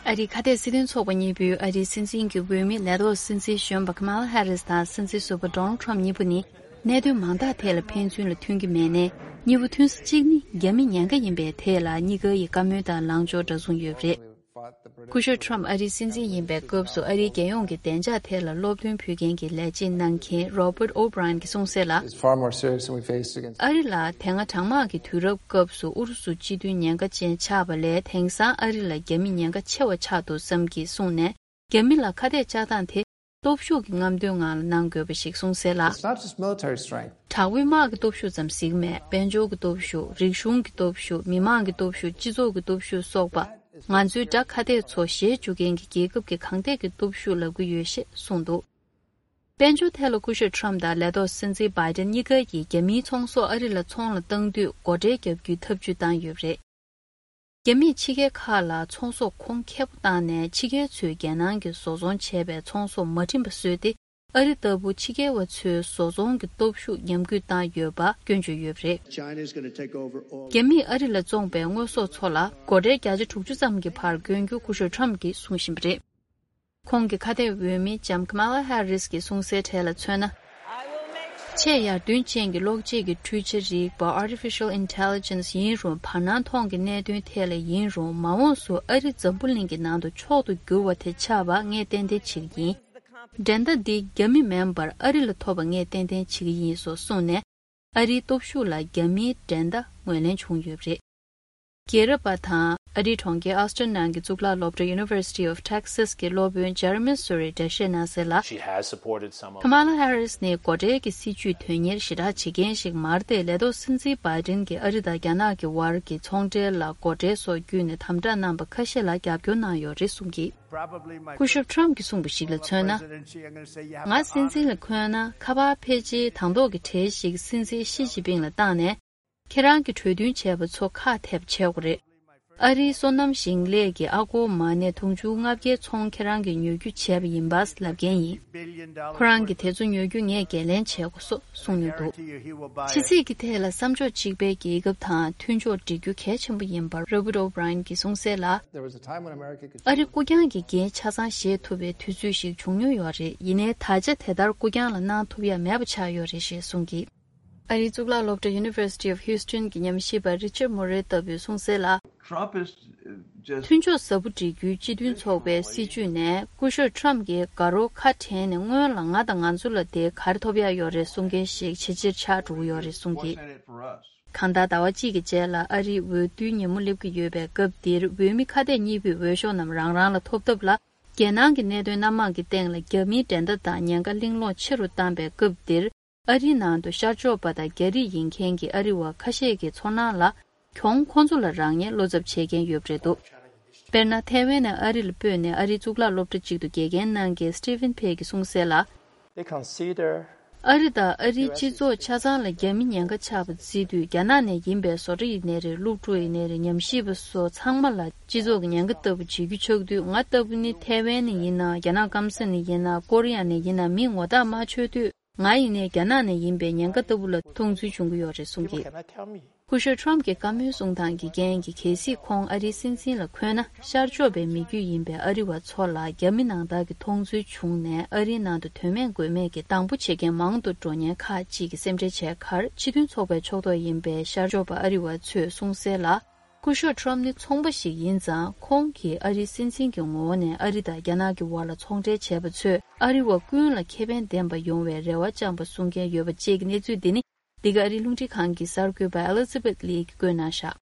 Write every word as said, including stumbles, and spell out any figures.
ཨ་རིའི་ཁ་གཏད་སྲིད་དོན་ཚོགས་པ་གཉིས་པོས་ཨ་རིའི་སྲིད་འཛིན་གྱི་འོས་མི་ལས་ཐོག་སྲིད་འཛིན་གཞོན་པ་ཁ་མ་ལ་ཧེ་རིས་དང་སྲིད་འཛིན་ཟུར་པ་ཌོ་ནལ་ཊམ་གཉིས་པོ་ནི་གནད་དོན་མང་དག་ཐད་ལ་ཕན་ཚུན་ལ་མཐུན་གྱི་མེད་ནའི་གཉིས་པོ་མཐུན་ས་གཅིག་ནི་རྒྱ་མི་ཉེན་ཁ་ཡིན་པའི་ཐད་ལ་གཉིས་ཀ་ཡི་བཀའ་མོལ་དང་ལངས་ཕྱོགས་འདྲ་མཚུངས་ཡོད་པ་རེད། སྐུ་ཞབས་ཊམ་ཨ་རིའི་སྲིད་འཛིན་ཡིན་པའི་སྐབས་སུ་ཨ་རིའི་རྒྱལ་ཡོངས་ཀྱི་བདེ་འཇགས་ཐད་ལ་སློབ་སྟོན་ཕུལ་མཁན་གྱི་ལས་བྱེད་གནང་མཁན་Robert O'Brien་གྱིས་གསུངས་གསལ་ལ། It's far more serious than we faced against ཨ་རི་ལ་དེ་སྔ་གྲང་དམག་གི་དུས་རབས་སྐབས་སུ་ཨུ་རུ་སུ་སྤྱི་མཐུན་ཉེན་ཁ་ཅན་ཆགས་པ་ལས་དེང་སང་ཨ་རི་ལ་རྒྱ་མི་ཉེན་ཁ་ཆེ་བ་ཆགས་འདུག་བསམ་གྱིས་གསུངས་ནས། རྒྱ་མི་ལ་ཁ་གཏད་བཅག་སྟངས་དེ་སྟོབས་ཤུགས་ཀྱི་རྔམ་སྟོན་ངང་ལ་གནང་དགོས་པ་ཞིག་གསུངས་གསལ་ལ། It's not just military strength. དྲག་པོའི་དམག་གི་སྟོབས་ཤུགས་ཙམ་ཞིག་མེད། དཔལ་འབྱོར་གྱི་སྟོབས་ཤུགས། རིག་གཞུང་གི་སྟོབས་ཤུགས། མི་མང་གི་སྟོབས་ཤུགས། སྤྱི་ཚོགས་ཀྱི་སྟོབས་ཤུགས་སོགས་པ། ང་ཚོའི་དགྲ་ཁ་གཏད་ཚོ་ཞེད་བཅུག་མཁན་གྱི་རྒྱལ་ཁབ་ཀྱི་གང་ཐད་ཀྱི་སྟོབས་ཤུགས་ལབ་ཀྱི་ཡོད་ཞེས་གསུངས་འདུག་དཔལ་འབྱོར་ཐད་ལ་སྐུ་ཞབས་ཊམ་དང་ལས་ཐོག་སྲིད་འཛིན་བྷའི་ཏན་གཉིས་ཀ་གིས་རྒྱ་མིའི་ཚོང་ཟོག་ཨ་རི་ལ་ཚོང་ལ་བཏང་དུས་སྒོ་ཁྲལ་བརྒྱབ་རྒྱུའི་ཐབས་ཇུས་བཏང་ཡོད་པ་རེད། རྒྱ་མིས་ཕྱི་རྒྱལ་ཁག་ལ་ཚོང་ཟོག་གོང་ཁེ་པོ་བཏང་ནས་ཕྱི་རྒྱལ་ཚོས་རྒྱལ་ནང་གི་བཟོ་ཚོང་བྱས་པའི་ཚོང་ཟོག་མ་བྲིན་པ་བཟོས་ཏེ། ཨ་རི་ལྟ་བུ་ཕྱི་རྒྱལ་བ་ཚོའི་བཟོ་ཚོང་གི་སྟོབས་ཤུགས་ཉམས་རྒུད་བཏང་ཡོད་པ་སྐྱོན་བརྗོད་ཡོད་པ་རེད། China is going to take over all རྒྱ་མིས་ཨ་རི་ལ་བཙོངས་པའི་དངོས་ཟོག་ཚོ་ལ་སྒོ་ཁྲལ་བརྒྱ་ཆ་དྲུག་ཅུ་ཙམ་གྱི་བར་བསྐྱོན་རྒྱུ་སྐུ་ཞབས་ཊམ་གྱིས་གསུང་བཞིན་པ་རེད། ཁོང་གི་ཁ་གཏད་འོས་མི་ལྕམ་ཀ་མ་ལ་ཧེ་རིས་ཀྱིས་གསུངས་གསལ་གྲས་ལ་མཚོན་ན། ཆེས་ཡར་ཐོན་ཅན་གྱི་གློག་ཆས་ཀྱི་འཕྲུལ་ཆ་རིག་པ་Artificial Intelligence་ཡིན་རུང་། བར་སྣང་མཐོང་གི་གནད་དོན་ཐད་ལ་ཡིན་རུང་། མ་འོངས་སུ་ཨ་རི་འཛམ་བུ་གླིང་གི་ནང་དུ་མཆོག་ཏུ་གྱུར་བ་དེ་ཆགས་པ་ངས་ཏན་ཏན་བྱེད་ཀྱི་ཡིན། འགྲན་ཟླ་འདི་རྒྱ་མི་མིན་པར་ཨ་རི་ལ་ཐོབ་པ་ངས་ཏན་ཏན་བྱེད་ཀྱི་ཡིན་སོགས་གསུངས་ནས། ཨ་རིའི་སྟོབས་ཤུགས་ལ་རྒྱ་མིའི་འགྲན་ཟླ་ངོས་ལེན་བྱུང་ཡོད་པ་རེད། རྒྱལ་རབས་པ་དང་ཨ་རིའི་གྲོང་ཁྱེར་ཨོ་སི་ཊིན་ནང་གི་གཙུག་ལག་སློབ་གྲྭ་University of Texas་གྱི་སློབ་དཔོན་Jeremy Suri་འགྲེལ་བཤད་གནང་གསལ་ལ། She has supported some of ཁ་མ་ལ་ཧེ་རིས་ནི་སྒོ་ཁྲལ་གྱི་སྲིད་ཇུས་དོན་གཉེར་ཞེ་དྲག་བྱེད་མཁན་ཞིག་མ་རེད་དེ། ལས་ཐོག་སྲིད་འཛིན་བྷའི་ཏིན་གྱིས་ཨ་རི་དང་རྒྱ་ནག་གི་དབར་གྱི་ཚོང་འབྲེལ་ལ་སྒོ་ཁྲལ་སོགས་བརྒྱུད་ནས་དམ་དྲག་གནང་པ་ཁ་ཤས་ལ་རྒྱབ་སྐྱོར་གནང་ཡོད་རེད་གསུངས་ཀྱིས། སྐུ་ཞབས་ཊམ་གྱིས་གསུངས་པ་ཞིག་ལ་མཚོན་ན། ང་སྲིད་འཛིན་ལ་འཁོད་ན་ཁ་པར་ཕལ་ཆེར་དང་ཐོག་གི་གྲས་ཤིག་སྲིད་འཛིན་ཞི་ཅིན་ཕིང་ལ་བཏང་ནས། ཁྱེད་རང་གིས་གྲོས་མཐུན་བྱས་པ་ཚོ་ཁག་ཐེག་བྱེད་དགོས་རེད། ཨ་རིའི་སོ་ནམ་ཞིང་ལས་ཀྱི་ཨ་སྒོར་མ་ནས་དུང་ཕྱུར་ལྔ་བརྒྱའི་ཚོང་ཁྱེད་རང་གིས་ཉོ་རྒྱུ་བྱས་པ་ཡིན་པ་ལབ་མཁན་ཡིན། ཁོ་རང་གིས་དེ་ཚོ་ཉོ་རྒྱུ་ངས་འགན་ལེན་བྱེད་དགོས་སོགས་གསུངས་མྱོང་འདུག་ཕྱི་སྲིད་ཀྱི་ཐད་ལ་བསམ་ཕྱོགས་གཅིག་པའི་རྒྱལ་ཁབ་དང་མཐུན་ཕྱོགས་སྒྲིག་རྒྱུ་གལ་ཆེན་པོ་ཡིན་པར་Robert O'Brien་གྱིས་གསུངས་གསལ་ལ། There was a time when America could ཨ་རི་ཀུ་ཀྱང་གི་འགན་ཆ་ཚང་བཞེས་ཐུབ་པའི་དུས་ཚོད་ཞིག་བྱུང་མྱོང་ཡོད་རེད། ཡིན་ནའི་ད་ཆ་དེ་ལྟར་ཀུ་ཀྱང་ལ་གནང་ཐུབ་ཡ་མེད་པ་ཆགས་ཡོད་རེད་ཞེས་གསུངས་ཀྱིས། ཨ་རིའི་གཙུག་ལག་སློབ་གྲྭ་University of Houston་གྱི་ཉམས་ཞིབ་པ་Richard Murray་ལྟ་བུས་གསུངས་གསལ་ལ། Trump is, uh, just མཐུན་ཕྱོགས་ཟབ་པོ་སྒྲིག་རྒྱུའི་སྤྱི་མཐུན་ཚོགས་པའི་སྲིད་བྱུས་ནས་སྐུ་ཞབས་Trump་གྱིས་དགའ་རོགས་ཁ་བྲལ་ནས་སྔོན་ལ་ང་དང་ང་ཚོ་ལ་དེ་ག་རེ་ཐོབ་ཡག་ཡོད་རེད་གསུང་མཁན་ཞིག་ཇེ་ཆེར་ཆགས་འགྲོ་གི་ཡོད་རེད་གསུངས་ཀྱིས། Fortunate for us. གང་ལྟར་ཟླ་བ་གཅིག་གི་རྗེས་ལ་ཨ་རིའི་འོས་བསྡུའི་ཉིན་མོ་སླེབས་ཀྱི་ཡོད་པའི་སྐབས་འདིར་འོས་མི་ཁ་གཏད་གཉིས་པོས་འོས་ཤོག་རྣམས་རང་རང་ལ་ཐོབ་ཐབས་ལ། རྒྱལ་ནང་གི་གནད་དོན་སྣ་མང་གི་སྟེང་ལ་རྒྱ་མིའི་འགྲན་ཟླ་དང་ཉེན་ཁ་གླེང་སློང་ཆེ་རུ་བཏང་པའི་སྐབས་འདིར། ཨ་རིའི་ནང་དུ་ཤར་ཕྱོགས་པ་དང་རྒྱ་རིགས་ཡིན་མཁན་གྱི་ཨ་རི་བ་ཁ་ཤས་ཀྱི་ཚོར་སྣང་ལ། གྱོང་ཁོང་ཚོ་ལ་རག་ཉེན་བློ་འཚབ་བྱེད་མཁན་ཡོད་པ་རེད་འདུག་དཔེར་ན། ཐའེ་ཝན་ནས་ཨ་རི་ལ་སྤོས་ནས་ཨ་རིའི་གཙུག་ལག་སློབ་གྲྭ་གཅིག་ཏུ་དགེ་རྒན་གནང་མཁན་Stephen Pei་གིས་གསུངས་གསལ་ལ། They consider ཨ་རི་དང་ཨ་རིའི་སྤྱི་ཚོགས་ཆ་ཚང་ལ་རྒྱ་མི་ཉེན་ཁ་ཆགས་པ་བརྩི་དུས། རྒྱ་ནག་ནས་ཡིན་པའི་བཟོ་གྲྭ་ཡིན་ནའི་རེད། སློབ་ཕྲུག་ཡིན་ནའི་རེད། ཉམས་ཞིབ་པ་སོགས་ཚང་མ་ལ་སྤྱི་ཚོགས་ཀྱི་ཉེན་ཁ་ལྟ་བུ་བྱེད་རྒྱུ་ཆགས་དུས། ང་ལྟ་བུ་ནི་ཐའེ་ཝན་ནས་ཡིན་ན། རྒྱ་ནག་སྐམ་ས་ནས་ཡིན་ན། ཀོ་རི་ཡ་ནས་ཡིན་ན། མིས་ངོ་རྟགས་མ་ཆོད་དུས། ང་ཡིན་ནའི་རྒྱ་ནག་ནས་ཡིན་པའི་ཉེན་ཁ་ལྟ་བུ་ལ་མཐོང་ཚུལ་བྱུང་གི་ཡོད་རེད་གསུངས་ཀྱིས། People cannot tell me. སྐུ་ཞབས་Trump་གྱི་བཀའ་མོལ་གསུང་སྟངས་ཀྱི་རྐྱེན་གྱིས། གལ་སྲིད་ཁོང་ཨ་རིའི་སྲིད་འཛིན་ལ་འཁོད་ན། ཤར་ཕྱོགས་པའི་མི་རྒྱུད་ཡིན་པའི་ཨ་རི་བ་ཚོ་ལ་རྒྱ་མི་ནང་ལྟར་གྱི་མཐོང་ཚུལ་བྱུང་ནས། ཨ་རིའི་ནང་དུ་དོན་མེད་དགོས་མེད་ཀྱི་སྡང་པོ་བྱེད་མཁན་མང་དུ་འགྲོ་ཉེན་ཁག་ཅིག་གི་སེམས་ཁྲལ་བྱས་ཁར། སྤྱི་མཐུན་ཚོགས་པའི་ཕྱོགས་གཏོགས་ཡིན་པའི་ཤར་ཕྱོགས་པ་ཨ་རི་བ་ཚོས་གསུངས་གསལ་ལ། སྐུ་ཞབས་Trump་ནི་ཚོང་པ་ཞིག་ཡིན་ཙང་། ཁོང་གིས་ཨ་རིའི་སྲིད་འཛིན་གྱི་ངོ་བོ་ནས་ཨ་རི་དང་རྒྱ་ནག་གི་བར་ལ་ཚོང་འབྲེལ་བྱས་པ་ཚོས་ཨ་རི་བ་ཀུན་ལ་ཁེ་ཕན་ལྡན་པ་ཡོང་བའི་རེ་བ་བཅངས་པ་གསུང་མཁན་ཡོད་པ་བཅས་ཀྱི་གནས་ཚུལ་འདི་ནི། འདི་ག་ཨ་རིའི་རླུང་འཕྲིན་ཁང་གི་གསར་འགོད་པ་Elizabeth Lee་གིས་བཀོད་གནང་བཞག